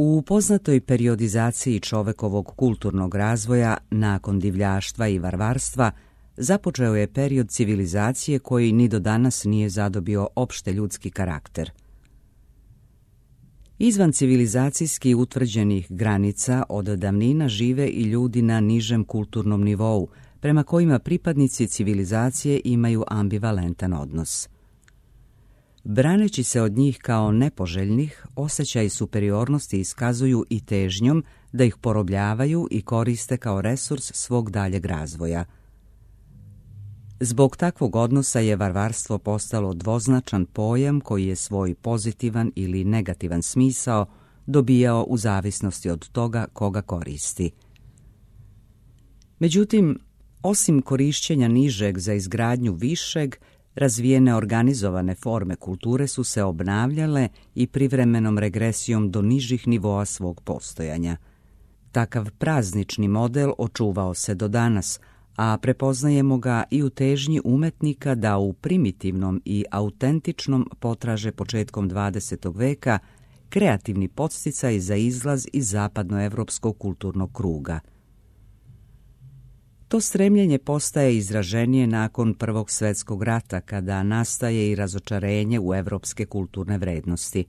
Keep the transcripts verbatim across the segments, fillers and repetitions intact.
U poznatoj periodizaciji čovekovog kulturnog razvoja nakon divljaštva i varvarstva započeo je period civilizacije koji ni do danas nije zadobio opšte ljudski karakter. Izvan civilizacijski utvrđenih granica od davnina žive i ljudi na nižem kulturnom nivou, prema kojima pripadnici civilizacije imaju ambivalentan odnos. Braneći se od njih kao nepoželjnih, osjećaj superiornosti iskazuju i težnjom da ih porobljavaju i koriste kao resurs svog daljeg razvoja. Zbog takvog odnosa je varvarstvo postalo dvoznačan pojam koji je svoj pozitivan ili negativan smisao dobijao u zavisnosti od toga koga koristi. Međutim, osim korišćenja nižeg za izgradnju višeg, razvijene organizovane forme kulture su se obnavljale i privremenom regresijom do nižih nivoa svog postojanja. Takav praznični model očuvao se do danas, a prepoznajemo ga i u težnji umetnika da u primitivnom i autentičnom potraže početkom dvadesetog veka kreativni podsticaj za izlaz iz zapadnoevropskog kulturnog kruga. To stremljenje postaje izraženije nakon Prvog svjetskog rata, kada nastaje i razočarenje u evropske kulturne vrednosti.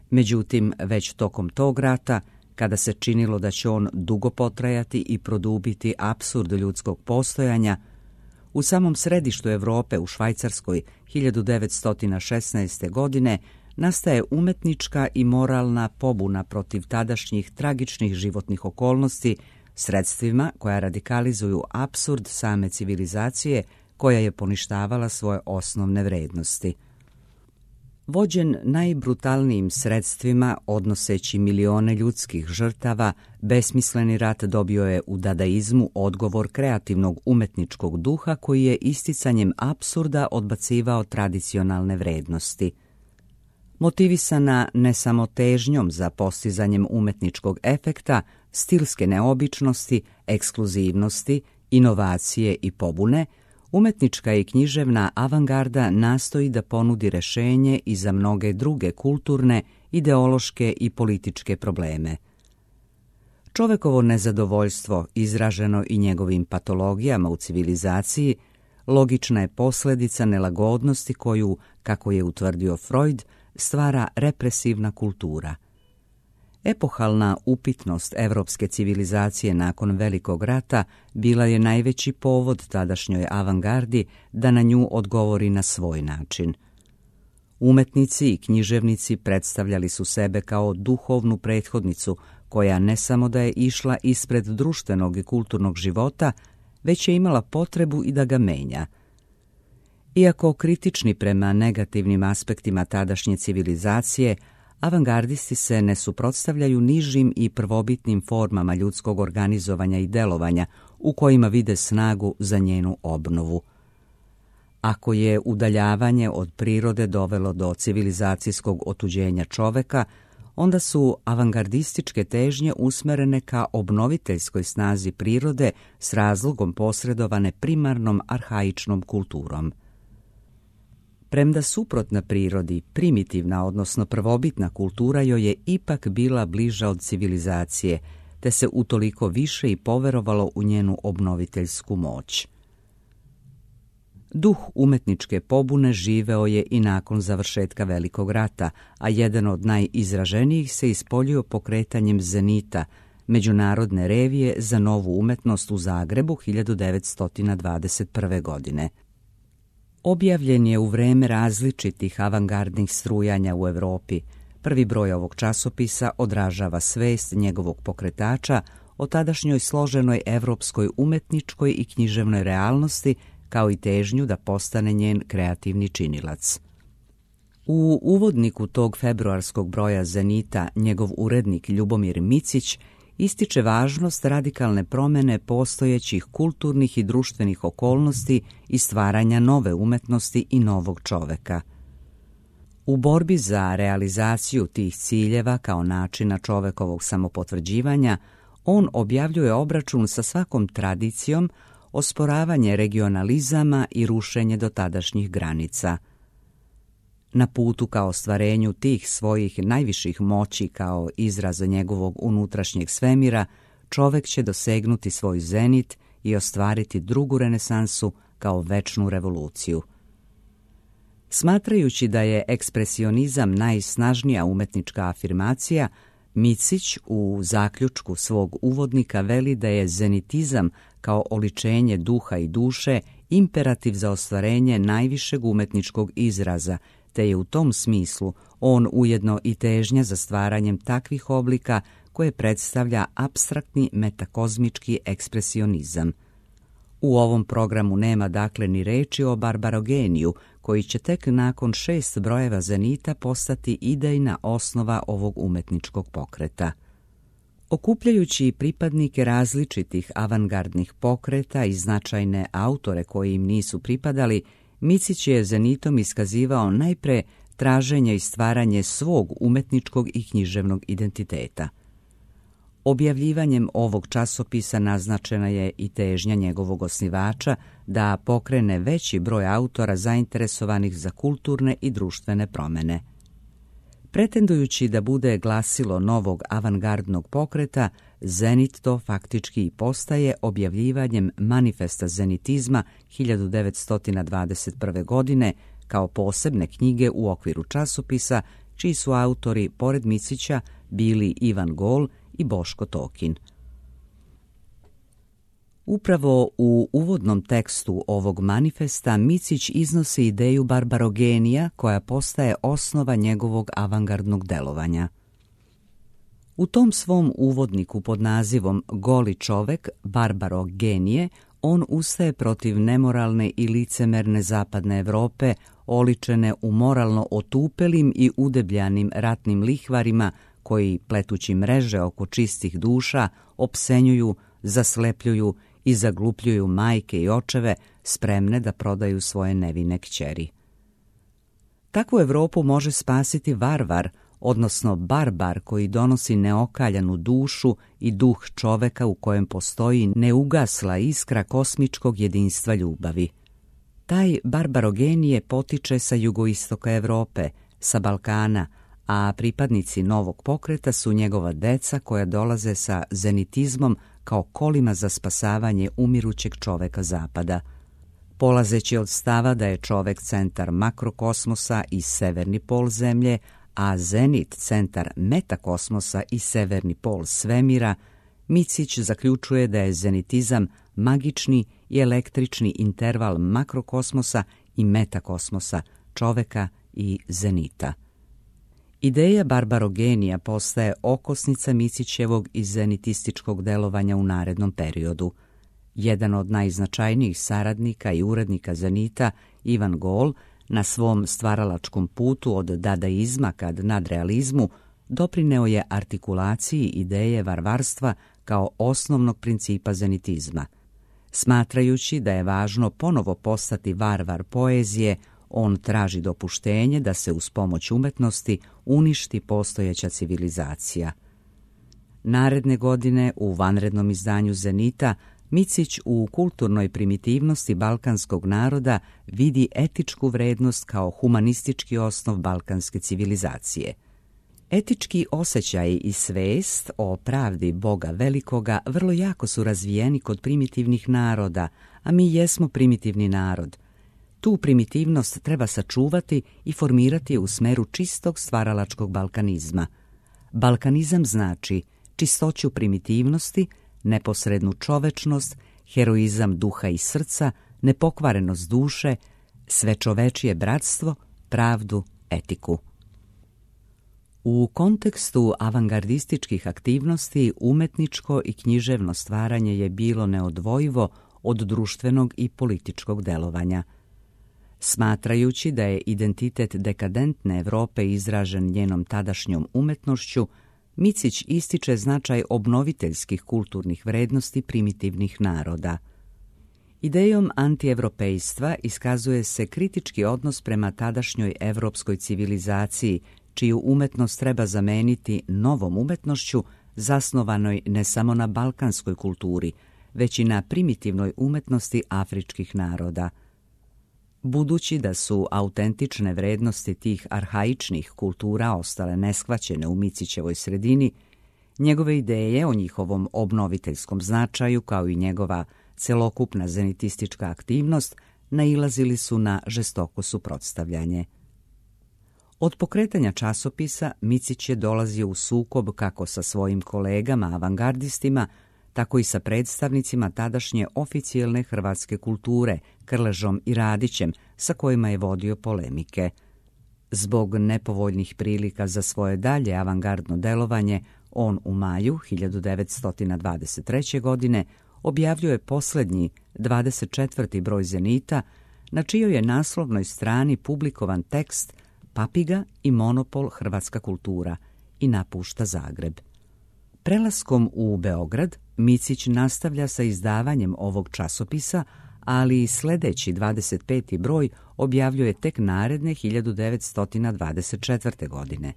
Međutim, već tokom tog rata, kada se činilo da će on dugo potrajati i produbiti apsurd ljudskog postojanja, u samom središtu Evrope, u Švajcarskoj, hiljadu devetsto šesnaeste. godine, nastaje umetnička i moralna pobuna protiv tadašnjih tragičnih životnih okolnosti, sredstvima koja radikalizuju apsurd same civilizacije koja je poništavala svoje osnovne vrednosti. Vođen najbrutalnijim sredstvima, odnoseći milione ljudskih žrtava, besmisleni rat dobio je u dadaizmu odgovor kreativnog umetničkog duha koji je isticanjem apsurda odbacivao tradicionalne vrednosti. Motivisana ne samo težnjom za postizanjem umetničkog efekta, stilske neobičnosti, ekskluzivnosti, inovacije i pobune, umetnička i književna avangarda nastoji da ponudi rešenje i za mnoge druge kulturne, ideološke i političke probleme. Čovekovo nezadovoljstvo, izraženo i njegovim patologijama u civilizaciji, logična je posljedica nelagodnosti koju, kako je utvrdio Freud, stvara represivna kultura. Epohalna upitnost evropske civilizacije nakon Velikog rata bila je najveći povod tadašnjoj avangardi da na nju odgovori na svoj način. Umetnici i književnici predstavljali su sebe kao duhovnu prethodnicu koja ne samo da je išla ispred društvenog i kulturnog života, već je imala potrebu i da ga menja. Iako kritični prema negativnim aspektima tadašnje civilizacije, avangardisti se ne suprotstavljaju nižim i prvobitnim formama ljudskog organizovanja i delovanja u kojima vide snagu za njenu obnovu. Ako je udaljavanje od prirode dovelo do civilizacijskog otuđenja čoveka, onda su avangardističke težnje usmerene ka obnoviteljskoj snazi prirode s razlogom posredovane primarnom arhaičnom kulturom. Premda suprotna prirodi, primitivna, odnosno prvobitna kultura joj je ipak bila bliža od civilizacije, te se utoliko više i poverovalo u njenu obnoviteljsku moć. Duh umetničke pobune živeo je i nakon završetka Velikog rata, a jedan od najizraženijih se ispoljio pokretanjem Zenita, međunarodne revije za novu umetnost u Zagrebu hiljadu devetsto dvadeset prve. godine. Objavljen je u vreme različitih avangardnih strujanja u Evropi. Prvi broj ovog časopisa odražava svest njegovog pokretača o tadašnjoj složenoj evropskoj umetničkoj i književnoj realnosti, kao i težnju da postane njen kreativni činilac. U uvodniku tog februarskog broja Zenita njegov urednik Ljubomir Micić ističe važnost radikalne promene postojećih kulturnih i društvenih okolnosti i stvaranja nove umetnosti i novog čoveka. U borbi za realizaciju tih ciljeva kao načina čovekovog samopotvrđivanja, on objavljuje obračun sa svakom tradicijom, osporavanje regionalizama i rušenje dotadašnjih granica. Na putu ka ostvarenju tih svojih najviših moći kao izraza njegovog unutrašnjeg svemira, čovek će dosegnuti svoj zenit i ostvariti drugu renesansu kao večnu revoluciju. Smatrajući da je ekspresionizam najsnažnija umetnička afirmacija, Micić u zaključku svog uvodnika veli da je zenitizam kao oličenje duha i duše imperativ za ostvarenje najvišeg umetničkog izraza, te je u tom smislu on ujedno i težnja za stvaranjem takvih oblika koje predstavlja apstraktni metakozmički ekspresionizam. U ovom programu nema dakle ni reči o Barbarogeniju, koji će tek nakon šest brojeva zenita postati idejna osnova ovog umetničkog pokreta. Okupljajući pripadnike različitih avangardnih pokreta i značajne autore koji im nisu pripadali, Micić je zenitom iskazivao najpre traženje i stvaranje svog umetničkog i književnog identiteta. Objavljivanjem ovog časopisa naznačena je i težnja njegovog osnivača da pokrene veći broj autora zainteresovanih za kulturne i društvene promene. Pretendujući da bude glasilo novog avangardnog pokreta, Zenit to faktički i postaje objavljivanjem Manifesta zenitizma hiljadu devetsto dvadeset prve. godine kao posebne knjige u okviru časopisa, čiji su autori, pored Micića, bili Ivan Gol i Boško Tokin. Upravo u uvodnom tekstu ovog manifesta Micić iznosi ideju Barbarogenija koja postaje osnova njegovog avangardnog delovanja. U tom svom uvodniku pod nazivom Goli čovek, Barbarogenije, on ustaje protiv nemoralne i licemerne zapadne Evrope, oličene u moralno otupelim i udebljanim ratnim lihvarima koji, pletući mreže oko čistih duša, opsenjuju, zaslepljuju i zaglupljuju majke i očeve spremne da prodaju svoje nevine kćeri. Takvu Evropu može spasiti varvar, odnosno barbar koji donosi neokaljanu dušu i duh čoveka u kojem postoji neugasla iskra kosmičkog jedinstva ljubavi. Taj Barbarogenije potiče sa jugoistoka Evrope, sa Balkana, a pripadnici novog pokreta su njegova deca koja dolaze sa zenitizmom kao kolima za spasavanje umirućeg čoveka zapada. Polazeći od stava da je čovek centar makrokosmosa i severni pol zemlje, a zenit centar metakosmosa i severni pol svemira, Micić zaključuje da je zenitizam magični i električni interval makrokosmosa i metakosmosa, čoveka i zenita. Ideja Barbarogenija postaje okosnica Micićevog i zenitističkog delovanja u narednom periodu. Jedan od najznačajnijih saradnika i urednika zenita, Ivan Gol, na svom stvaralačkom putu od dadaizma ka nadrealizmu, doprineo je artikulaciji ideje varvarstva kao osnovnog principa zenitizma. Smatrajući da je važno ponovo postati varvar poezije, on traži dopuštenje da se uz pomoć umetnosti uništi postojeća civilizacija. Naredne godine u vanrednom izdanju Zenita Micić u kulturnoj primitivnosti balkanskog naroda vidi etičku vrednost kao humanistički osnov balkanske civilizacije. Etički osjećaj i svest o pravdi Boga velikoga vrlo jako su razvijeni kod primitivnih naroda, a mi jesmo primitivni narod. Tu primitivnost treba sačuvati i formirati je u smeru čistog stvaralačkog balkanizma. Balkanizam znači čistoću primitivnosti, neposrednu čovečnost, heroizam duha i srca, nepokvarenost duše, svečovečije bratstvo, pravdu, etiku. U kontekstu avangardističkih aktivnosti umetničko i književno stvaranje je bilo neodvojivo od društvenog i političkog delovanja. Smatrajući da je identitet dekadentne Evrope izražen njenom tadašnjom umetnošću, Micić ističe značaj obnoviteljskih kulturnih vrednosti primitivnih naroda. Idejom antievropejstva iskazuje se kritički odnos prema tadašnjoj evropskoj civilizaciji, čiju umetnost treba zameniti novom umetnošću zasnovanoj ne samo na balkanskoj kulturi, već i na primitivnoj umetnosti afričkih naroda. Budući da su autentične vrednosti tih arhaičnih kultura ostale neshvaćene u Micićevoj sredini, njegove ideje o njihovom obnoviteljskom značaju, kao i njegova celokupna zenitistička aktivnost, nailazili su na žestoko suprotstavljanje. Od pokretanja časopisa Micić je dolazio u sukob kako sa svojim kolegama avangardistima, tako i sa predstavnicima tadašnje oficijelne hrvatske kulture, Krležom i Radićem, sa kojima je vodio polemike. Zbog nepovoljnih prilika za svoje dalje avangardno delovanje, on u maju hiljadu devetsto dvadeset treće. godine objavljuje posljednji, dvadeset četvrti broj Zenita, na čijoj je naslovnoj strani publikovan tekst Papiga i monopol hrvatska kultura, i napušta Zagreb. Prelaskom u Beograd, Micić nastavlja sa izdavanjem ovog časopisa, ali i sljedeći dvadeset peti broj objavljuje tek naredne hiljadu devetsto dvadeset četvrte. godine.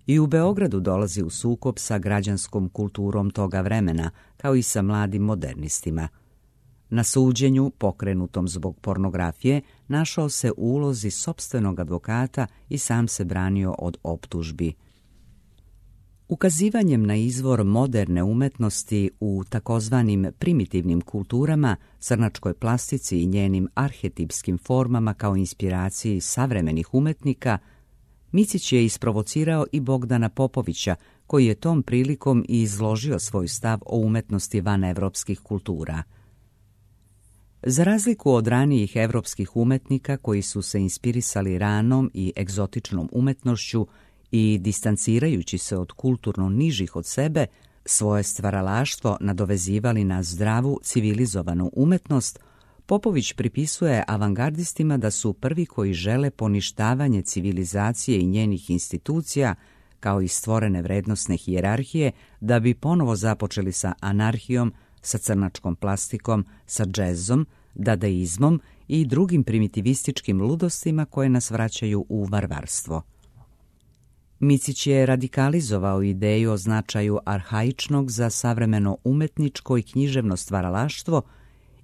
I u Beogradu dolazi u sukob sa građanskom kulturom toga vremena, kao i sa mladim modernistima. Na suđenju, pokrenutom zbog pornografije, našao se u ulozi sopstvenog advokata i sam se branio od optužbi. Ukazivanjem na izvor moderne umetnosti u takozvanim primitivnim kulturama, crnačkoj plastici i njenim arhetipskim formama kao inspiraciji savremenih umetnika, Micić je isprovocirao i Bogdana Popovića, koji je tom prilikom i izložio svoj stav o umetnosti van evropskih kultura. Za razliku od ranijih evropskih umetnika koji su se inspirisali ranom i egzotičnom umetnošću i distancirajući se od kulturno nižih od sebe, svoje stvaralaštvo nadovezivali na zdravu, civilizovanu umetnost, Popović pripisuje avangardistima da su prvi koji žele poništavanje civilizacije i njenih institucija, kao i stvorene vrednosne hijerarhije, da bi ponovo započeli sa anarhijom, sa crnačkom plastikom, sa džezom, dadaizmom i drugim primitivističkim ludostima koje nas vraćaju u varvarstvo. Micić je radikalizovao ideju o značaju arhaičnog za savremeno umetničko i književno stvaralaštvo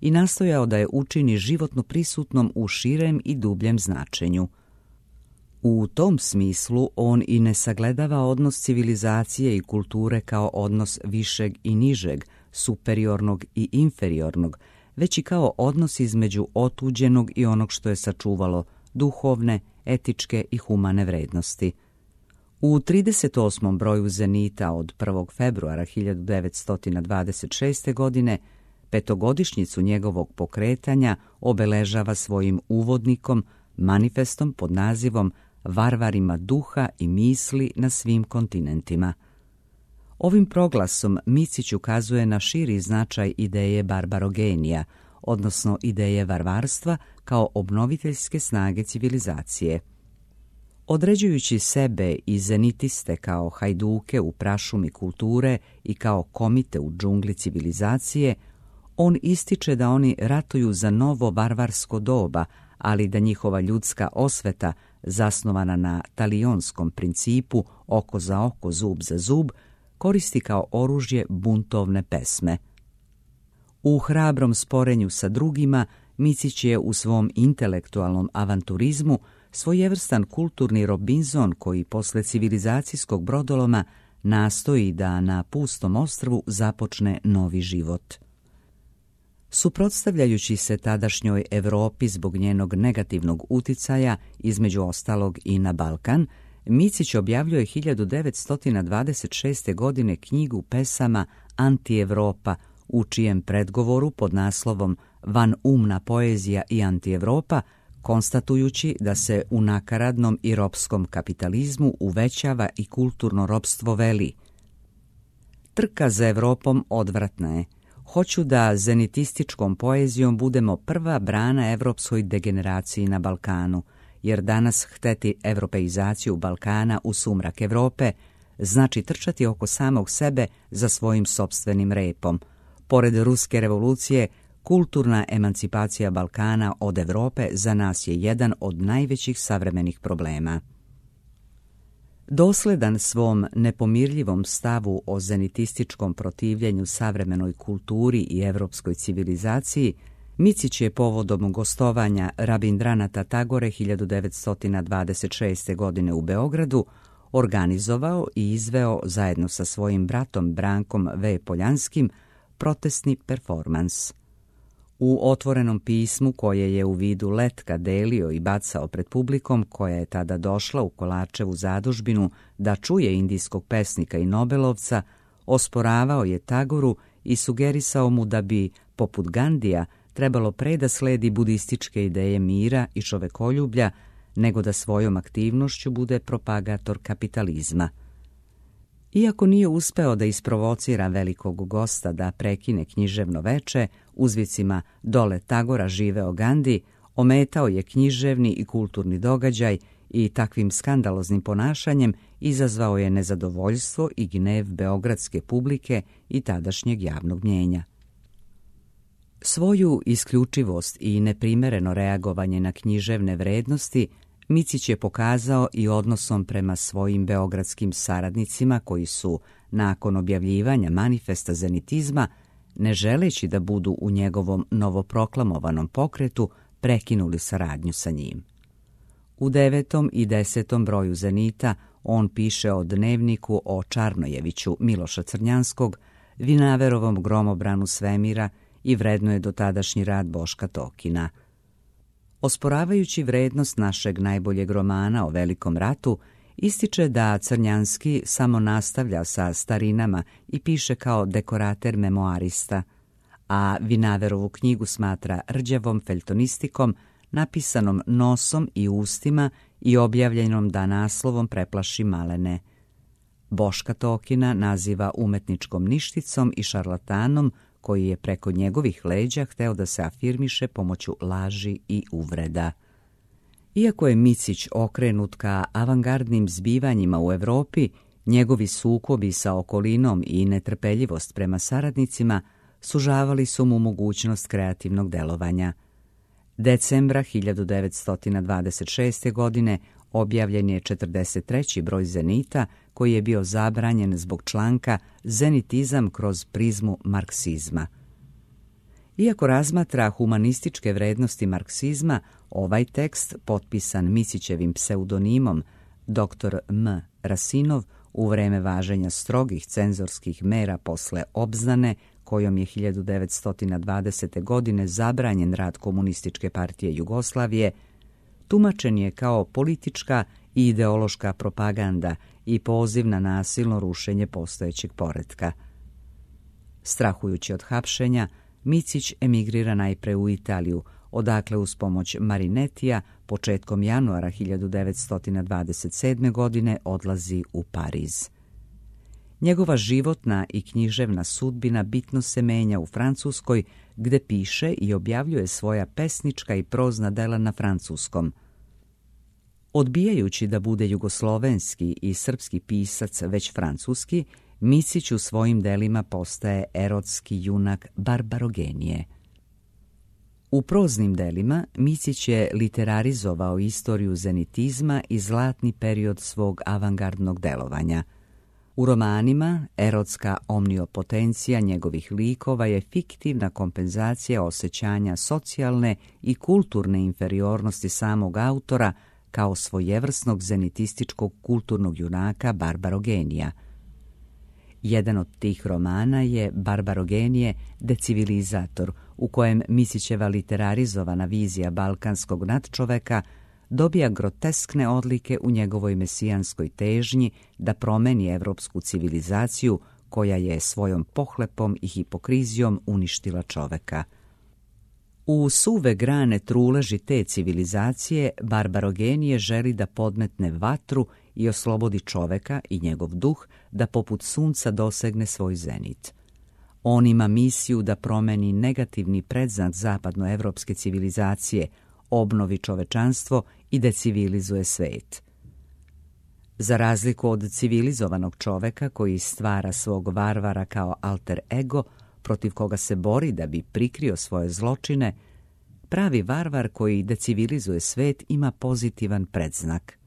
i nastojao da je učini životno prisutnom u širem i dubljem značenju. U tom smislu on i ne sagledava odnos civilizacije i kulture kao odnos višeg i nižeg, superiornog i inferiornog, već i kao odnos između otuđenog i onog što je sačuvalo duhovne, etičke i humane vrednosti. U trideset osmom broju Zenita od prvog februara hiljadu devetsto dvadeset šeste. godine petogodišnjicu njegovog pokretanja obeležava svojim uvodnikom, manifestom pod nazivom Varvarima duha i misli na svim kontinentima. Ovim proglasom Micić ukazuje na širi značaj ideje barbarogenija, odnosno ideje varvarstva kao obnoviteljske snage civilizacije. Određujući sebe i zenitiste kao hajduke u prašumi kulture i kao komite u džungli civilizacije, on ističe da oni ratuju za novo varvarsko doba, ali da njihova ljudska osveta, zasnovana na talijonskom principu oko za oko, zub za zub, koristi kao oružje buntovne pesme. U hrabrom sporenju sa drugima, Micić je u svom intelektualnom avanturizmu svojevrstan kulturni Robinzon koji posle civilizacijskog brodoloma nastoji da na pustom ostrvu započne novi život. Suprotstavljajući se tadašnjoj Evropi zbog njenog negativnog uticaja, između ostalog i na Balkan, Micić objavljuje hiljadu devetsto dvadeset šeste. godine knjigu pesama Anti-Evropa, u čijem predgovoru pod naslovom Van umna poezija i Anti-Evropa, konstatujući da se u nakaradnom i ropskom kapitalizmu uvećava i kulturno ropstvo, veli: Trka za Evropom odvratna je. Hoću da zenitističkom poezijom budemo prva brana evropskoj degeneraciji na Balkanu, jer danas hteti evropeizaciju Balkana u sumrak Evrope znači trčati oko samog sebe za svojim sopstvenim repom. Pored ruske revolucije, kulturna emancipacija Balkana od Evrope za nas je jedan od najvećih savremenih problema. Dosledan svom nepomirljivom stavu o zenitističkom protivljenju savremenoj kulturi i evropskoj civilizaciji, Micić je povodom gostovanja Rabindranata Tagore hiljadu devetsto dvadeset šeste. godine u Beogradu organizovao i izveo zajedno sa svojim bratom Brankom V. Poljanskim protestni performans. U otvorenom pismu koje je u vidu letka delio i bacao pred publikom koja je tada došla u Kolačevu zadužbinu da čuje indijskog pesnika i nobelovca, osporavao je Tagoru i sugerisao mu da bi, poput Gandija, trebalo pre da sledi budističke ideje mira i čovekoljublja, nego da svojom aktivnošću bude propagator kapitalizma. Iako nije uspeo da isprovocira velikog gosta da prekine književno veče, uzvicima "Dole Tagora živeo Gandi", ometao je književni i kulturni događaj i takvim skandaloznim ponašanjem izazvao je nezadovoljstvo i gnev beogradske publike i tadašnjeg javnog mnjenja. Svoju isključivost i neprimereno reagovanje na književne vrednosti Micić je pokazao i odnosom prema svojim beogradskim saradnicima koji su, nakon objavljivanja manifesta zenitizma, ne želeći da budu u njegovom novoproklamovanom pokretu, prekinuli saradnju sa njim. U devetom i desetom broju Zenita on piše o dnevniku o Čarnojeviću Miloša Crnjanskog, Vinaverovom gromobranu svemira i vrednuje dotadašnji rad Boška Tokina. Osporavajući vrednost našeg najboljeg romana o Velikom ratu, ističe da Crnjanski samo nastavlja sa starinama i piše kao dekorater memoarista, a Vinaverovu knjigu smatra rđavom feljtonistikom, napisanom nosom i ustima i objavljenom da naslovom preplaši malene. Boška Tokina naziva umetničkom ništicom i šarlatanom koji je preko njegovih leđa hteo da se afirmiše pomoću laži i uvreda. Iako je Micić okrenut ka avangardnim zbivanjima u Evropi, njegovi sukobi sa okolinom i netrpeljivost prema saradnicima sužavali su mu mogućnost kreativnog delovanja. Decembra hiljadu devetsto dvadeset šeste. godine objavljen je četrdeset treći broj Zenita, koji je bio zabranjen zbog članka "Zenitizam kroz prizmu marksizma". Iako razmatra humanističke vrednosti marksizma, ovaj tekst, potpisan Micićevim pseudonimom doktor M. Rasinov, u vreme važenja strogih cenzorskih mera posle obznane, kojom je hiljadu devetsto dvadesete. godine zabranjen rad Komunističke partije Jugoslavije, tumačen je kao politička i ideološka propaganda i poziv na nasilno rušenje postojećeg poretka. Strahujući od hapšenja, Micić emigrira najpre u Italiju, odakle uz pomoć Marinetija početkom januara hiljadu devetsto dvadeset sedme. godine odlazi u Pariz. Njegova životna i književna sudbina bitno se menja u Francuskoj, gde piše i objavljuje svoja pesnička i prozna dela na francuskom. Odbijajući da bude jugoslovenski i srpski pisac već francuski, Micić u svojim delima postaje erotski junak Barbarogenije. U proznim delima Micić je literarizovao istoriju zenitizma i zlatni period svog avangardnog delovanja. U romanima erotska omniopotencija njegovih likova je fiktivna kompenzacija osjećanja socijalne i kulturne inferiornosti samog autora kao svojevrsnog zenitističkog kulturnog junaka Barbarogenija. Jedan od tih romana je Barbarogenije decivilizator, u kojem Micićeva literarizovana vizija balkanskog nadčoveka dobija groteskne odlike u njegovoj mesijanskoj težnji da promeni evropsku civilizaciju koja je svojom pohlepom i hipokrizijom uništila čoveka. U suve grane truleži te civilizacije Barbarogenije želi da podmetne vatru i oslobodi čoveka i njegov duh da poput sunca dosegne svoj zenit. On ima misiju da promeni negativni predznak zapadnoevropske civilizacije, obnovi čovečanstvo i decivilizuje svet. Za razliku od civilizovanog čoveka koji stvara svog varvara kao alter ego, protiv koga se bori da bi prikrio svoje zločine, pravi varvar koji decivilizuje svet ima pozitivan predznak.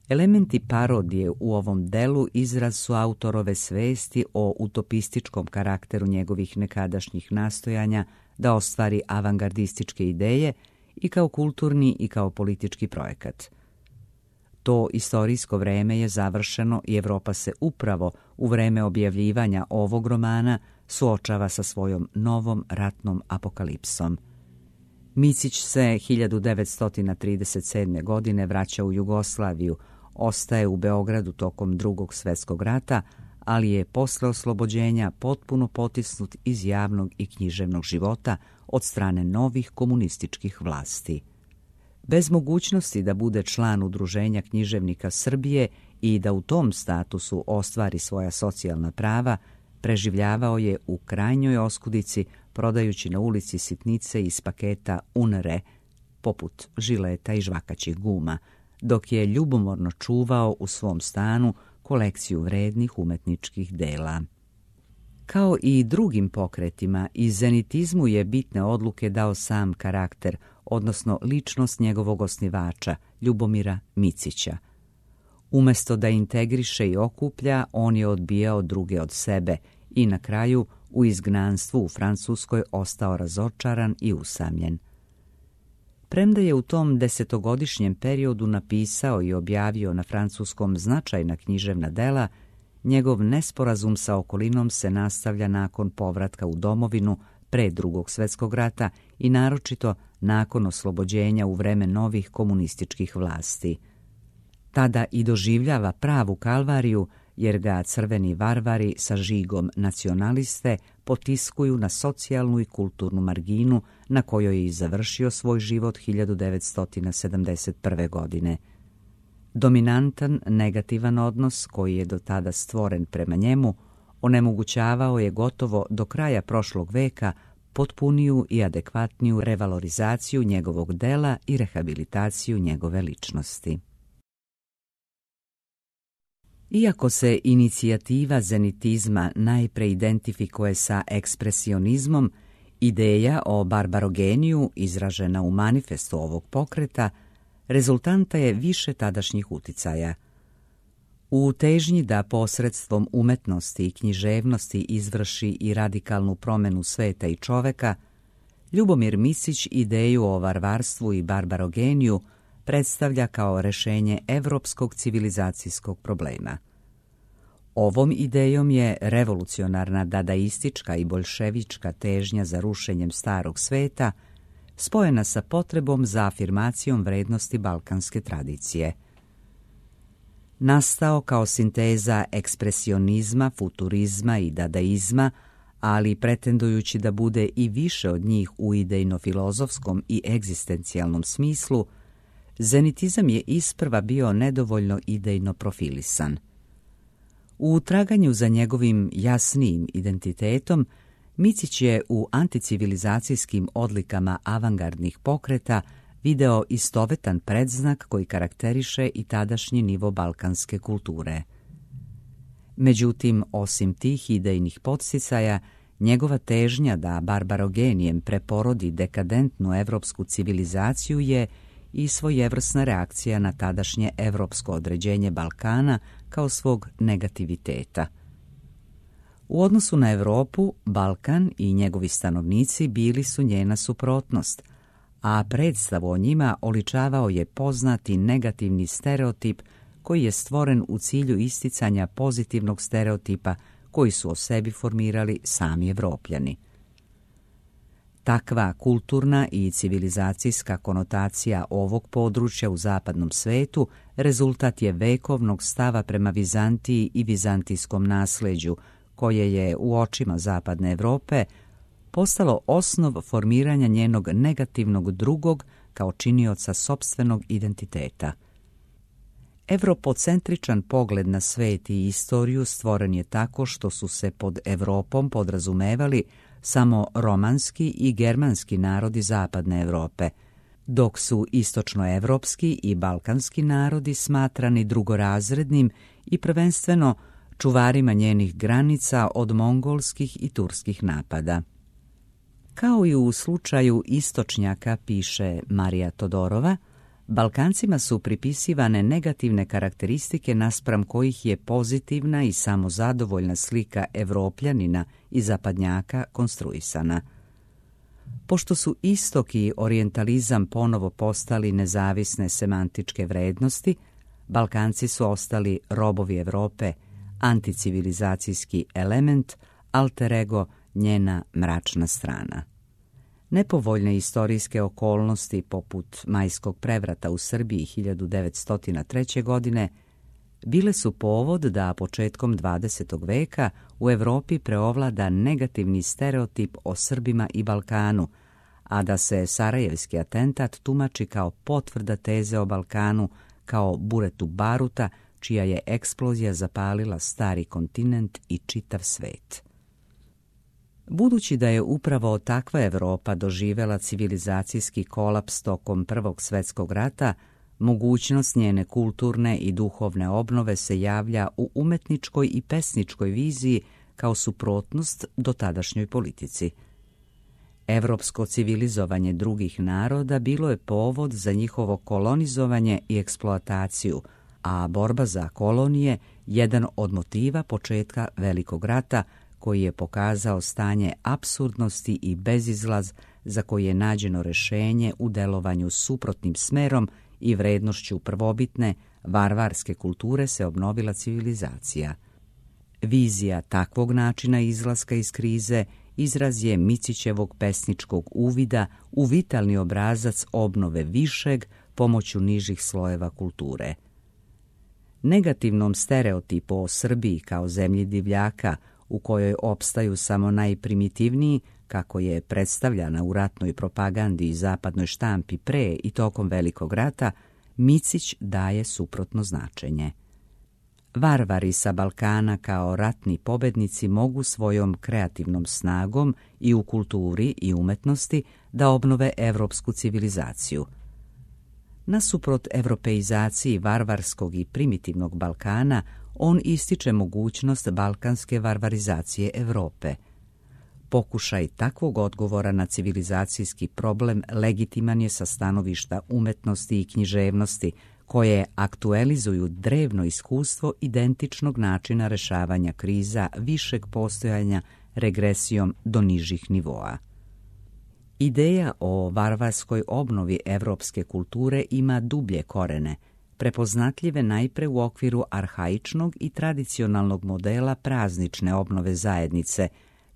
Elementi parodije u ovom delu izraz su autorove svesti o utopističkom karakteru njegovih nekadašnjih nastojanja da ostvari avangardističke ideje i kao kulturni i kao politički projekat. To istorijsko vreme je završeno i Evropa se upravo u vreme objavljivanja ovog romana suočava sa svojom novom ratnom apokalipsom. Micić se hiljadu devetsto trideset sedme. godine vraća u Jugoslaviju, ostaje u Beogradu tokom Drugog svjetskog rata, ali je posle oslobođenja potpuno potisnut iz javnog i književnog života od strane novih komunističkih vlasti. Bez mogućnosti da bude član Udruženja književnika Srbije i da u tom statusu ostvari svoja socijalna prava, preživljavao je u krajnjoj oskudici, prodajući na ulici sitnice iz paketa Unre, poput žileta i žvakaćih guma, dok je ljubomorno čuvao u svom stanu kolekciju vrednih umetničkih dela. Kao i drugim pokretima, i zenitizmu je bitne odluke dao sam karakter, odnosno ličnost njegovog osnivača, Ljubomira Micića. Umesto da integriše i okuplja, on je odbijao druge od sebe i na kraju u izgnanstvu u Francuskoj ostao razočaran i usamljen. Premda je u tom desetogodišnjem periodu napisao i objavio na francuskom značajna književna dela, njegov nesporazum sa okolinom se nastavlja nakon povratka u domovinu pre Drugog svjetskog rata i naročito nakon oslobođenja u vreme novih komunističkih vlasti. Tada i doživljava pravu kalvariju, jer ga crveni varvari sa žigom nacionaliste potiskuju na socijalnu i kulturnu marginu na kojoj je i završio svoj život hiljadu devetsto sedamdeset prve. godine. Dominantan, negativan odnos koji je do tada stvoren prema njemu onemogućavao je gotovo do kraja prošlog veka potpuniju i adekvatniju revalorizaciju njegovog dela i rehabilitaciju njegove ličnosti. Iako se inicijativa zenitizma najpre identifikuje sa ekspresionizmom, ideja o barbarogeniju izražena u manifestu ovog pokreta rezultanta je više tadašnjih uticaja. U težnji da posredstvom umetnosti i književnosti izvrši i radikalnu promjenu sveta i čoveka, Ljubomir Micić ideju o varvarstvu i barbarogeniju predstavlja kao rešenje evropskog civilizacijskog problema. Ovom idejom je revolucionarna dadaistička i boljševička težnja za rušenjem starog sveta spojena sa potrebom za afirmacijom vrednosti balkanske tradicije. Nastao kao sinteza ekspresionizma, futurizma i dadaizma, ali pretendujući da bude i više od njih u idejno-filozofskom i egzistencijalnom smislu, zenitizam je isprva bio nedovoljno idejno profilisan. U traganju za njegovim jasnijim identitetom, Micić je u anticivilizacijskim odlikama avangardnih pokreta video istovetan predznak koji karakteriše i tadašnji nivo balkanske kulture. Međutim, osim tih idejnih podsticaja, njegova težnja da barbarogenijem preporodi dekadentnu evropsku civilizaciju je i svojevrsna reakcija na tadašnje evropsko određenje Balkana kao svog negativiteta. U odnosu na Evropu, Balkan i njegovi stanovnici bili su njena suprotnost, a predstavu o njima oličavao je poznati negativni stereotip koji je stvoren u cilju isticanja pozitivnog stereotipa koji su o sebi formirali sami Evropljani. Takva kulturna i civilizacijska konotacija ovog područja u zapadnom svetu rezultat je vekovnog stava prema Vizantiji i vizantijskom nasleđu, koje je u očima zapadne Evrope postalo osnov formiranja njenog negativnog drugog kao činioca sopstvenog identiteta. Evropocentričan pogled na svet i istoriju stvoren je tako što su se pod Evropom podrazumevali samo romanski i germanski narodi zapadne Evrope, dok su istočnoevropski i balkanski narodi smatrani drugorazrednim i prvenstveno čuvarima njenih granica od mongolskih i turskih napada. Kao i u slučaju istočnjaka, piše Marija Todorova, Balkancima su pripisivane negativne karakteristike naspram kojih je pozitivna i samozadovoljna slika Evropljanina i zapadnjaka konstruisana. Pošto su istok i orijentalizam ponovo postali nezavisne semantičke vrednosti, Balkanci su ostali robovi Europe, anticivilizacijski element, alter ego, njena mračna strana. Nepovoljne istorijske okolnosti poput Majskog prevrata u Srbiji hiljadu devetsto treće. godine bile su povod da početkom dvadesetog veka u Europi preovlada negativni stereotip o Srbima i Balkanu, a da se sarajevski atentat tumači kao potvrda teze o Balkanu kao buretu baruta, čija je eksplozija zapalila stari kontinent i čitav svet. Budući da je upravo takva Europa doživjela civilizacijski kolaps tokom Prvog svjetskog rata, mogućnost njene kulturne i duhovne obnove se javlja u umetničkoj i pesničkoj viziji kao suprotnost dotadašnjoj politici. Evropsko civilizovanje drugih naroda bilo je povod za njihovo kolonizovanje i eksploataciju, a borba za kolonije jedan od motiva početka Velikog rata, koji je pokazao stanje apsurdnosti i bezizlaz za koji je nađeno rješenje u delovanju suprotnim smerom i vrednošću prvobitne, varvarske kulture se obnovila civilizacija. Vizija takvog načina izlaska iz krize izraz je Micićevog pesničkog uvida u vitalni obrazac obnove višeg pomoću nižih slojeva kulture. Negativnom stereotipu o Srbiji kao zemlji divljaka, u kojoj opstaju samo najprimitivniji, kako je predstavljana u ratnoj propagandi i zapadnoj štampi pre i tokom Velikog rata, Micić daje suprotno značenje. Varvari sa Balkana kao ratni pobednici mogu svojom kreativnom snagom i u kulturi i umetnosti da obnove evropsku civilizaciju. Nasuprot evropeizaciji varvarskog i primitivnog Balkana, on ističe mogućnost balkanske varvarizacije Europe. Pokušaj takvog odgovora na civilizacijski problem legitiman je sa stanovišta umetnosti i književnosti, koje aktualizuju drevno iskustvo identičnog načina rešavanja kriza višeg postojanja regresijom do nižih nivoa. Ideja o varvarskoj obnovi evropske kulture ima dublje korene, prepoznatljive najpre u okviru arhaičnog i tradicionalnog modela praznične obnove zajednice,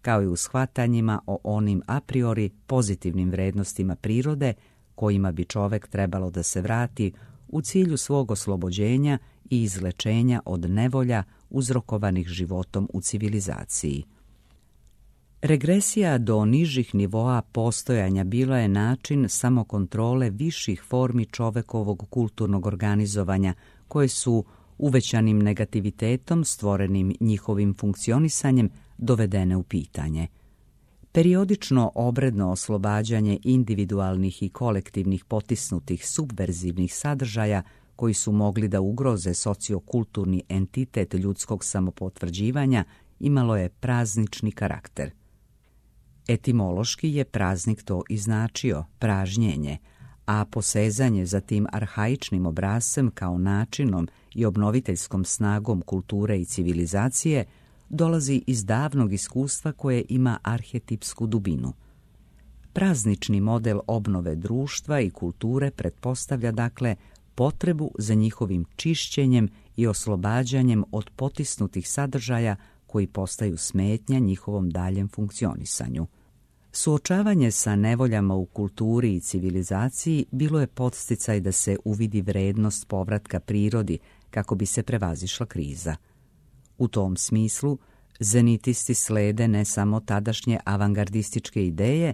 kao i u shvatanjima o onim a priori pozitivnim vrednostima prirode kojima bi čovek trebalo da se vrati u cilju svog oslobođenja i izlečenja od nevolja uzrokovanih životom u civilizaciji. Regresija do nižih nivoa postojanja bila je način samokontrole viših formi čovekovog kulturnog organizovanja, koje su uvećanim negativitetom stvorenim njihovim funkcionisanjem dovedene u pitanje. Periodično obredno oslobađanje individualnih i kolektivnih potisnutih subverzivnih sadržaja koji su mogli da ugroze sociokulturni entitet ljudskog samopotvrđivanja imalo je praznični karakter. Etimološki je praznik to i značio, pražnjenje, a posezanje za tim arhaičnim obrascem kao načinom i obnoviteljskom snagom kulture i civilizacije dolazi iz davnog iskustva koje ima arhetipsku dubinu. Praznični model obnove društva i kulture pretpostavlja dakle potrebu za njihovim čišćenjem i oslobađanjem od potisnutih sadržaja koji postaju smetnja njihovom daljem funkcionisanju. Suočavanje sa nevoljama u kulturi i civilizaciji bilo je podsticaj da se uvidi vrednost povratka prirodi kako bi se prevazišla kriza. U tom smislu, zenitisti slede ne samo tadašnje avangardističke ideje,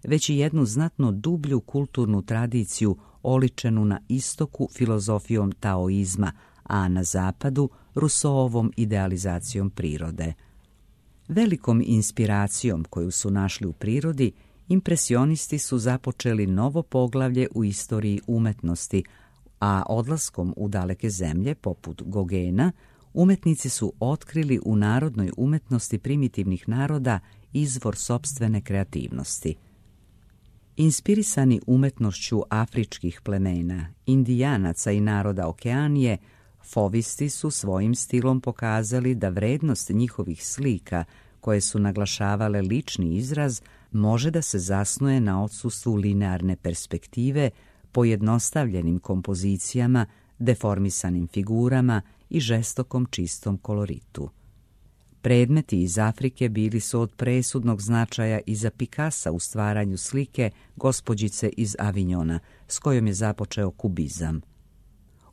već i jednu znatno dublju kulturnu tradiciju oličenu na istoku filozofijom taoizma, a na zapadu Rousseauovom idealizacijom prirode. Velikom inspiracijom koju su našli u prirodi, impresionisti su započeli novo poglavlje u istoriji umetnosti, a odlaskom u daleke zemlje, poput Gogena, umetnici su otkrili u narodnoj umetnosti primitivnih naroda izvor sopstvene kreativnosti. Inspirisani umetnošću afričkih plemena, indijanaca i naroda Okeanije, fovisti su svojim stilom pokazali da vrednost njihovih slika, koje su naglašavale lični izraz, može da se zasnuje na odsustvu linearne perspektive, pojednostavljenim kompozicijama, deformisanim figurama i žestokom čistom koloritu. Predmeti iz Afrike bili su od presudnog značaja i za Picassa u stvaranju slike Gospođice iz Avignona, s kojom je započeo kubizam.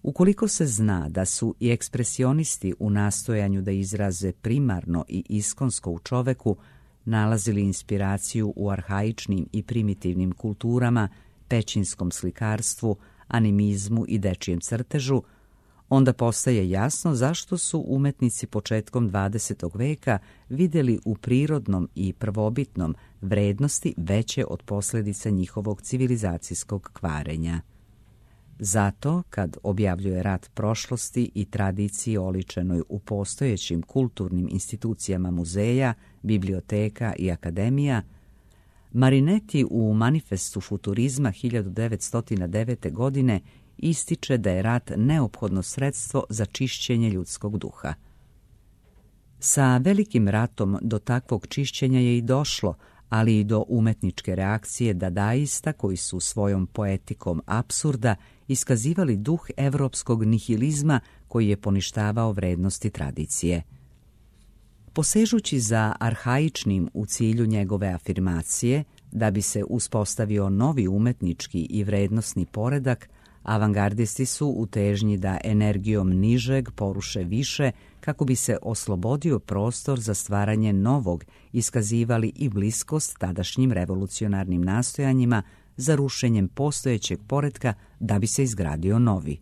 Ukoliko se zna da su i ekspresionisti u nastojanju da izraze primarno i iskonsko u čoveku nalazili inspiraciju u arhaičnim i primitivnim kulturama, pećinskom slikarstvu, animizmu i dečijem crtežu, onda postaje jasno zašto su umetnici početkom dvadesetog veka vidjeli u prirodnom i prvobitnom vrednosti veće od posljedica njihovog civilizacijskog kvarenja. Zato, kad objavljuje rat prošlosti i tradiciji oličenoj u postojećim kulturnim institucijama muzeja, biblioteka i akademija, Marinetti u Manifestu futurizma hiljadu devetsto devete. godine ističe da je rat neophodno sredstvo za čišćenje ljudskog duha. Sa velikim ratom do takvog čišćenja je i došlo, ali i do umetničke reakcije dadaista koji su svojom poetikom apsurda iskazivali duh evropskog nihilizma koji je poništavao vrednosti tradicije. Posežući za arhaičnim u cilju njegove afirmacije, da bi se uspostavio novi umetnički i vrednosni poredak, avangardisti su u težnji da energijom nižeg poruše više kako bi se oslobodio prostor za stvaranje novog, iskazivali i bliskost tadašnjim revolucionarnim nastojanjima za rušenjem postojećeg poretka da bi se izgradio novi.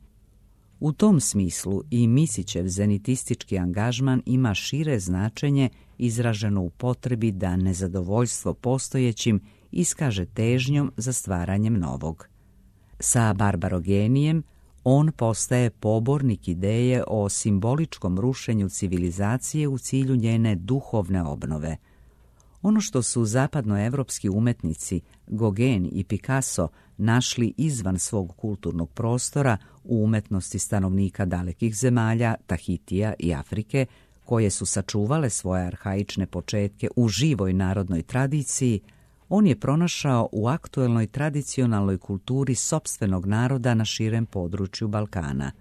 U tom smislu i Misićev zenitistički angažman ima šire značenje izraženo u potrebi da nezadovoljstvo postojećim iskaže težnjom za stvaranjem novog. Sa barbarogenijem on postaje pobornik ideje o simboličkom rušenju civilizacije u cilju njene duhovne obnove. Ono što su zapadnoevropski umetnici Gauguin i Picasso našli izvan svog kulturnog prostora u umetnosti stanovnika dalekih zemalja, Tahitija i Afrike, koje su sačuvale svoje arhaične početke u živoj narodnoj tradiciji, on je pronašao u aktuelnoj tradicionalnoj kulturi sopstvenog naroda na širem području Balkana.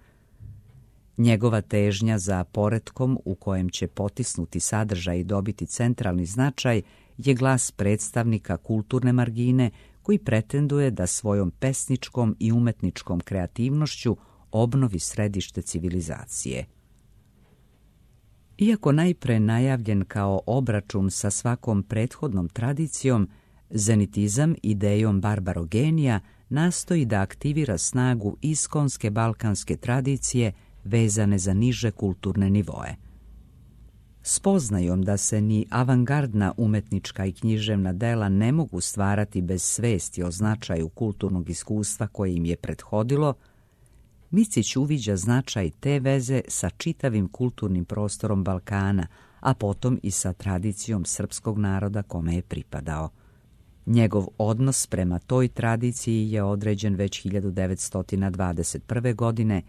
Njegova težnja za poretkom u kojem će potisnuti sadržaj i dobiti centralni značaj je glas predstavnika kulturne margine koji pretenduje da svojom pesničkom i umetničkom kreativnošću obnovi središte civilizacije. Iako najpre najavljen kao obračun sa svakom prethodnom tradicijom, zenitizam idejom barbarogenija nastoji da aktivira snagu iskonske balkanske tradicije vezane za niže kulturne nivoe. Spoznajom da se ni avangardna umetnička i književna dela ne mogu stvarati bez svesti o značaju kulturnog iskustva koje im je prethodilo, Micić uviđa značaj te veze sa čitavim kulturnim prostorom Balkana, a potom i sa tradicijom srpskog naroda kome je pripadao. Njegov odnos prema toj tradiciji je određen već hiljadu devetsto dvadeset prve. godine,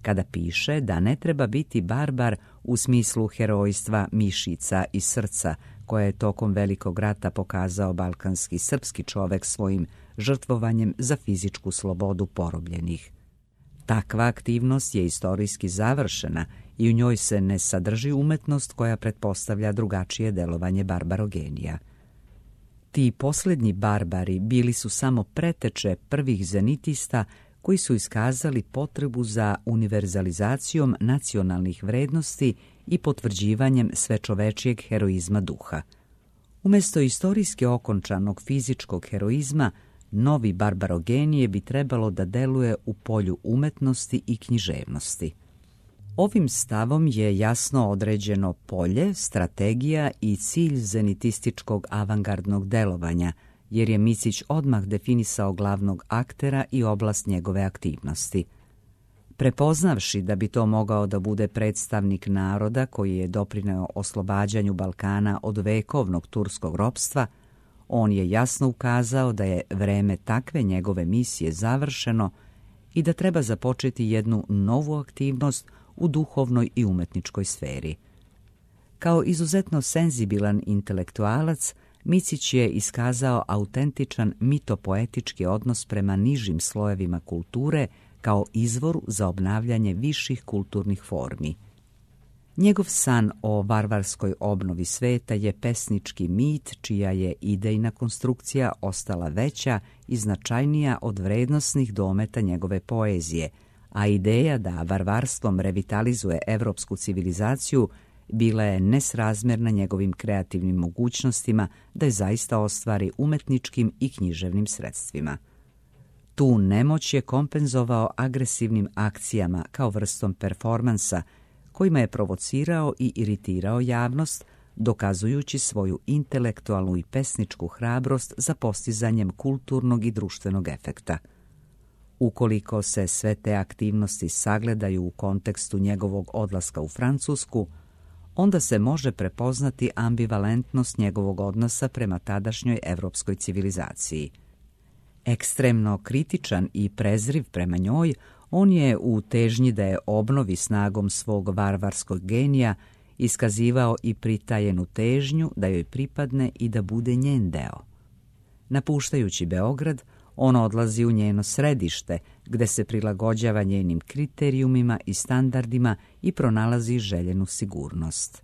kada piše da ne treba biti barbar u smislu herojstva mišica i srca, koje je tokom Velikog rata pokazao balkanski srpski čovek svojim žrtvovanjem za fizičku slobodu porobljenih. Takva aktivnost je istorijski završena i u njoj se ne sadrži umetnost koja pretpostavlja drugačije delovanje barbarogenija. Ti posljednji barbari bili su samo preteče prvih zenitista koji su iskazali potrebu za univerzalizacijom nacionalnih vrednosti i potvrđivanjem svečovečijeg heroizma duha. Umjesto istorijski okončanog fizičkog heroizma, novi barbarogenije bi trebalo da deluje u polju umetnosti i književnosti. Ovim stavom je jasno određeno polje, strategija i cilj zenitističkog avangardnog delovanja, jer je Micić odmah definisao glavnog aktera i oblast njegove aktivnosti. Prepoznavši da bi to mogao da bude predstavnik naroda koji je doprineo oslobađanju Balkana od vekovnog turskog ropstva, on je jasno ukazao da je vreme takve njegove misije završeno i da treba započeti jednu novu aktivnost u duhovnoj i umetničkoj sferi. Kao izuzetno senzibilan intelektualac, Micić je iskazao autentičan mitopoetički odnos prema nižim slojevima kulture kao izvoru za obnavljanje viših kulturnih formi. Njegov san o varvarskoj obnovi sveta je pesnički mit čija je idejna konstrukcija ostala veća i značajnija od vrednosnih dometa njegove poezije, a ideja da varvarstvom revitalizuje evropsku civilizaciju bila je nesrazmjerna njegovim kreativnim mogućnostima da je zaista ostvari umetničkim i književnim sredstvima. Tu nemoć je kompenzovao agresivnim akcijama kao vrstom performansa, kojima je provocirao i iritirao javnost, dokazujući svoju intelektualnu i pesničku hrabrost za postizanjem kulturnog i društvenog efekta. Ukoliko se sve te aktivnosti sagledaju u kontekstu njegovog odlaska u Francusku, onda se može prepoznati ambivalentnost njegovog odnosa prema tadašnjoj evropskoj civilizaciji. Ekstremno kritičan i prezriv prema njoj, on je u težnji da je obnovi snagom svog varvarskog genija iskazivao i pritajenu težnju da joj pripadne i da bude njen deo. Napuštajući Beograd, on odlazi u njeno središte, gde se prilagođava njenim kriterijumima i standardima i pronalazi željenu sigurnost.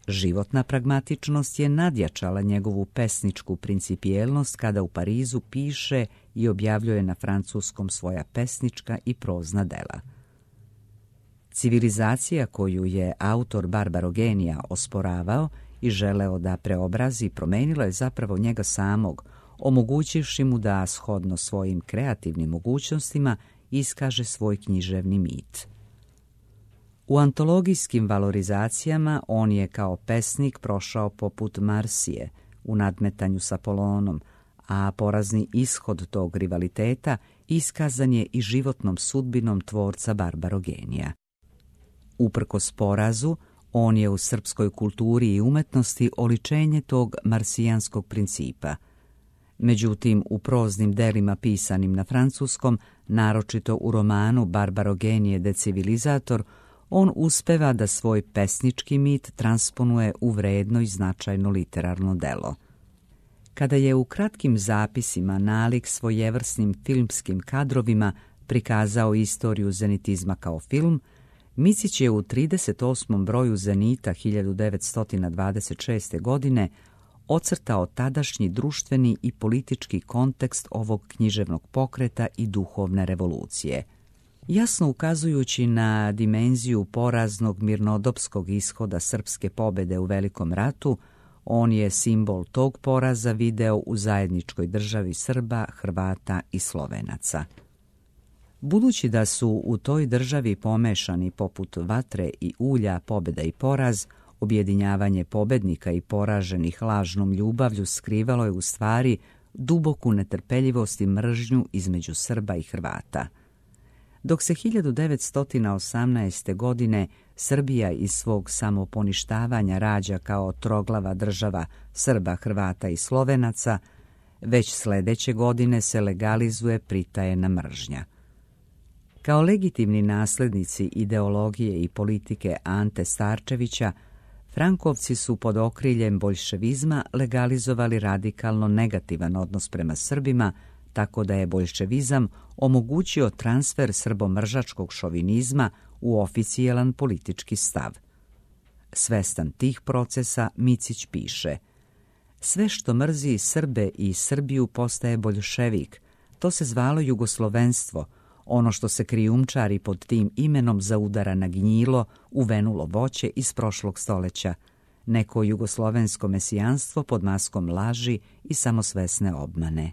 Životna pragmatičnost je nadjačala njegovu pesničku principijelnost kada u Parizu piše i objavljuje na francuskom svoja pesnička i prozna dela. Civilizacija koju je autor Barbarogenija osporavao i želeo da preobrazi promenila je zapravo njega samog, omogućivši mu da, shodno svojim kreativnim mogućnostima, iskaže svoj književni mit. U antologijskim valorizacijama on je kao pesnik prošao poput Marsije u nadmetanju s Apolonom, a porazni ishod tog rivaliteta iskazan je i životnom sudbinom tvorca Barbarogenija. Uprkos porazu, on je u srpskoj kulturi i umetnosti oličenje tog marsijanskog principa. Međutim, u proznim delima pisanim na francuskom, naročito u romanu Barbarogenije de civilizator, on uspeva da svoj pesnički mit transponuje u vredno i značajno literarno delo. Kada je u kratkim zapisima nalik svojevrsnim filmskim kadrovima prikazao istoriju zenitizma kao film, Micić je u trideset osmom broju Zenita hiljadu devetsto dvadeset šeste. godine ocrtao tadašnji društveni i politički kontekst ovog književnog pokreta i duhovne revolucije. Jasno ukazujući na dimenziju poraznog mirnodopskog ishoda srpske pobede u Velikom ratu, on je simbol tog poraza video u zajedničkoj državi Srba, Hrvata i Slovenaca. Budući da su u toj državi pomešani poput vatre i ulja pobeda i poraz, objedinjavanje pobednika i poraženih lažnom ljubavlju skrivalo je u stvari duboku netrpeljivost i mržnju između Srba i Hrvata. Dok se hiljadu devetsto osamnaeste. godine Srbija iz svog samoponištavanja rađa kao troglava država Srba, Hrvata i Slovenaca, već sledeće godine se legalizuje pritajena mržnja. Kao legitimni naslednici ideologije i politike Ante Starčevića, Frankovci su pod okriljem boljševizma legalizovali radikalno negativan odnos prema Srbima, tako da je boljševizam omogućio transfer srbomržačkog šovinizma u oficijalan politički stav. Svestan tih procesa, Micić piše: sve što mrzi Srbe i Srbiju postaje boljševik, to se zvalo jugoslovenstvo, ono što se krijumčari pod tim imenom zaudara na gnjilo, uvenulo voće iz prošlog stoleća, neko jugoslovensko mesijanstvo pod maskom laži i samosvesne obmane.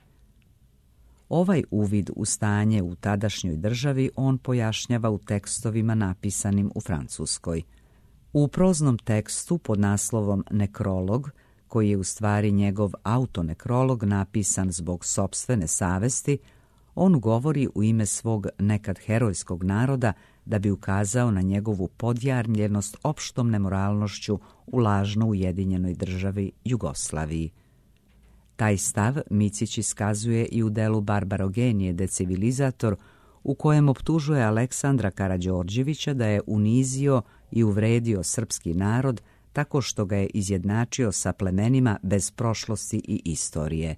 Ovaj uvid u stanje u tadašnjoj državi on pojašnjava u tekstovima napisanim u Francuskoj. U proznom tekstu pod naslovom Nekrolog, koji je u stvari njegov autonekrolog napisan zbog sopstvene savesti, on govori u ime svog nekad herojskog naroda da bi ukazao na njegovu podjarmljenost opštom nemoralnošću u lažno ujedinjenoj državi Jugoslaviji. Taj stav Micić iskazuje i u delu Barbarogenije de civilizator, u kojem optužuje Aleksandra Karađorđevića da je unizio i uvredio srpski narod tako što ga je izjednačio sa plemenima bez prošlosti i istorije.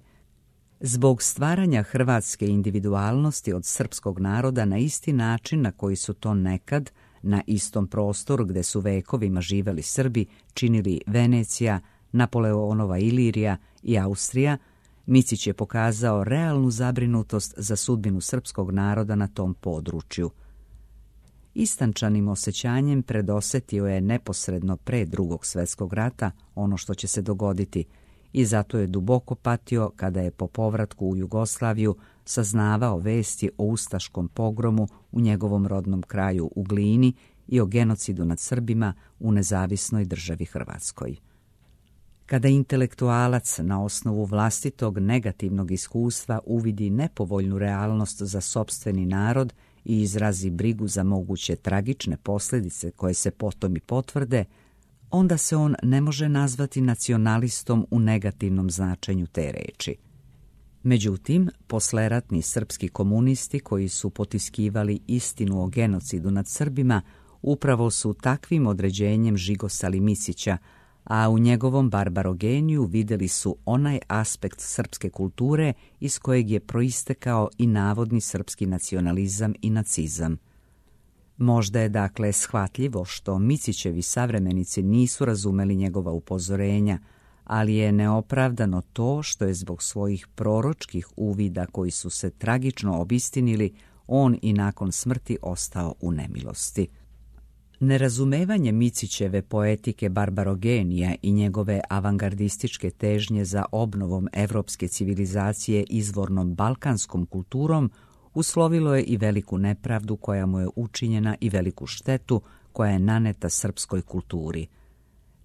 Zbog stvaranja hrvatske individualnosti od srpskog naroda na isti način na koji su to nekad, na istom prostoru gde su vekovima živeli Srbi, činili Venecija, Napoleonova Ilirija i Austrija, Micić je pokazao realnu zabrinutost za sudbinu srpskog naroda na tom području. Istančanim osjećanjem predosetio je neposredno pre Drugog svjetskog rata ono što će se dogoditi i zato je duboko patio kada je po povratku u Jugoslaviju saznavao vesti o ustaškom pogromu u njegovom rodnom kraju u Glini i o genocidu nad Srbima u nezavisnoj državi Hrvatskoj. Kada intelektualac na osnovu vlastitog negativnog iskustva uvidi nepovoljnu realnost za sopstveni narod i izrazi brigu za moguće tragične posljedice koje se potom i potvrde, onda se on ne može nazvati nacionalistom u negativnom značenju te reči. Međutim, posleratni srpski komunisti koji su potiskivali istinu o genocidu nad Srbima upravo su takvim određenjem žigosali Micića, a u njegovom barbarogeniju vidjeli su onaj aspekt srpske kulture iz kojeg je proistekao i navodni srpski nacionalizam i nacizam. Možda je dakle shvatljivo što Micićevi savremenici nisu razumeli njegova upozorenja, ali je neopravdano to što je zbog svojih proročkih uvida koji su se tragično obistinili, on i nakon smrti ostao u nemilosti. Nerazumevanje Micićeve poetike barbarogenija i njegove avangardističke težnje za obnovom evropske civilizacije izvornom balkanskom kulturom uslovilo je i veliku nepravdu koja mu je učinjena i veliku štetu koja je naneta srpskoj kulturi.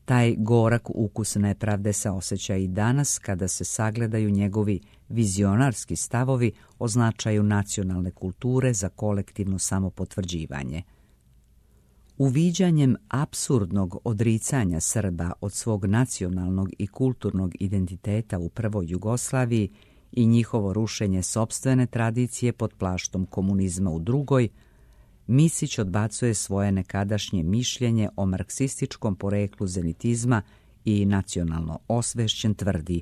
Taj gorak ukus nepravde se osjeća i danas kada se sagledaju njegovi vizionarski stavovi o značaju nacionalne kulture za kolektivno samopotvrđivanje. Uviđanjem apsurdnog odricanja Srba od svog nacionalnog i kulturnog identiteta u prvoj Jugoslaviji i njihovo rušenje sopstvene tradicije pod plaštom komunizma u drugoj, Micić odbacuje svoje nekadašnje mišljenje o marksističkom poreklu zenitizma i nacionalno osvešćen tvrdi: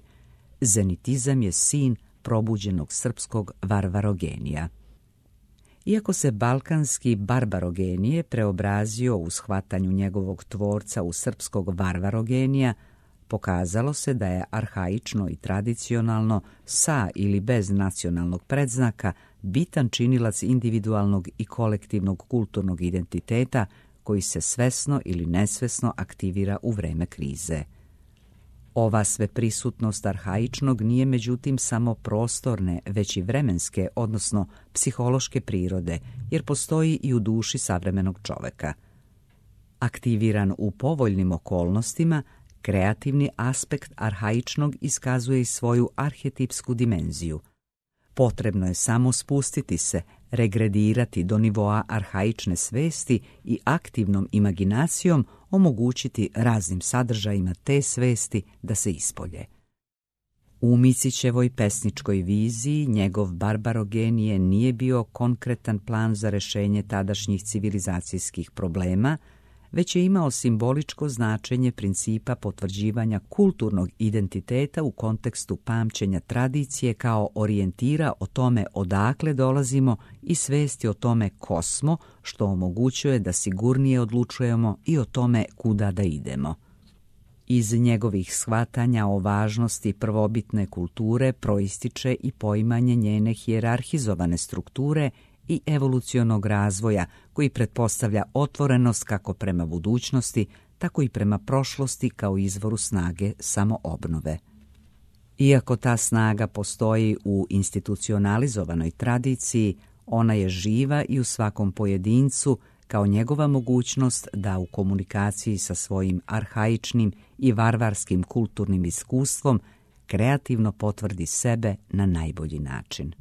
zenitizam je sin probuđenog srpskog varvarogenija. Iako se balkanski barbarogenije preobrazio u shvatanju njegovog tvorca u srpskog varvarogenija, pokazalo se da je arhaično i tradicionalno, sa ili bez nacionalnog predznaka, bitan činilac individualnog i kolektivnog kulturnog identiteta koji se svesno ili nesvesno aktivira u vreme krize. Ova sveprisutnost arhaičnog nije međutim samo prostorne, već i vremenske, odnosno psihološke prirode, jer postoji i u duši savremenog čoveka. Aktiviran u povoljnim okolnostima, kreativni aspekt arhaičnog iskazuje i svoju arhetipsku dimenziju. Potrebno je samo spustiti se, regredirati do nivoa arhaične svesti i aktivnom imaginacijom omogućiti raznim sadržajima te svesti da se ispolje. U Micićevoj pesničkoj viziji njegov barbarogenije nije bio konkretan plan za rešenje tadašnjih civilizacijskih problema, već je imao simboličko značenje principa potvrđivanja kulturnog identiteta u kontekstu pamćenja tradicije kao orijentira o tome odakle dolazimo i svesti o tome ko smo, što omogućuje da sigurnije odlučujemo i o tome kuda da idemo. Iz njegovih shvatanja o važnosti prvobitne kulture proističe i poimanje njene hijerarhizovane strukture i evolucionog razvoja koji pretpostavlja otvorenost kako prema budućnosti, tako i prema prošlosti kao izvoru snage samoobnove. Iako ta snaga postoji u institucionalizovanoj tradiciji, ona je živa i u svakom pojedincu kao njegova mogućnost da u komunikaciji sa svojim arhaičnim i varvarskim kulturnim iskustvom kreativno potvrdi sebe na najbolji način.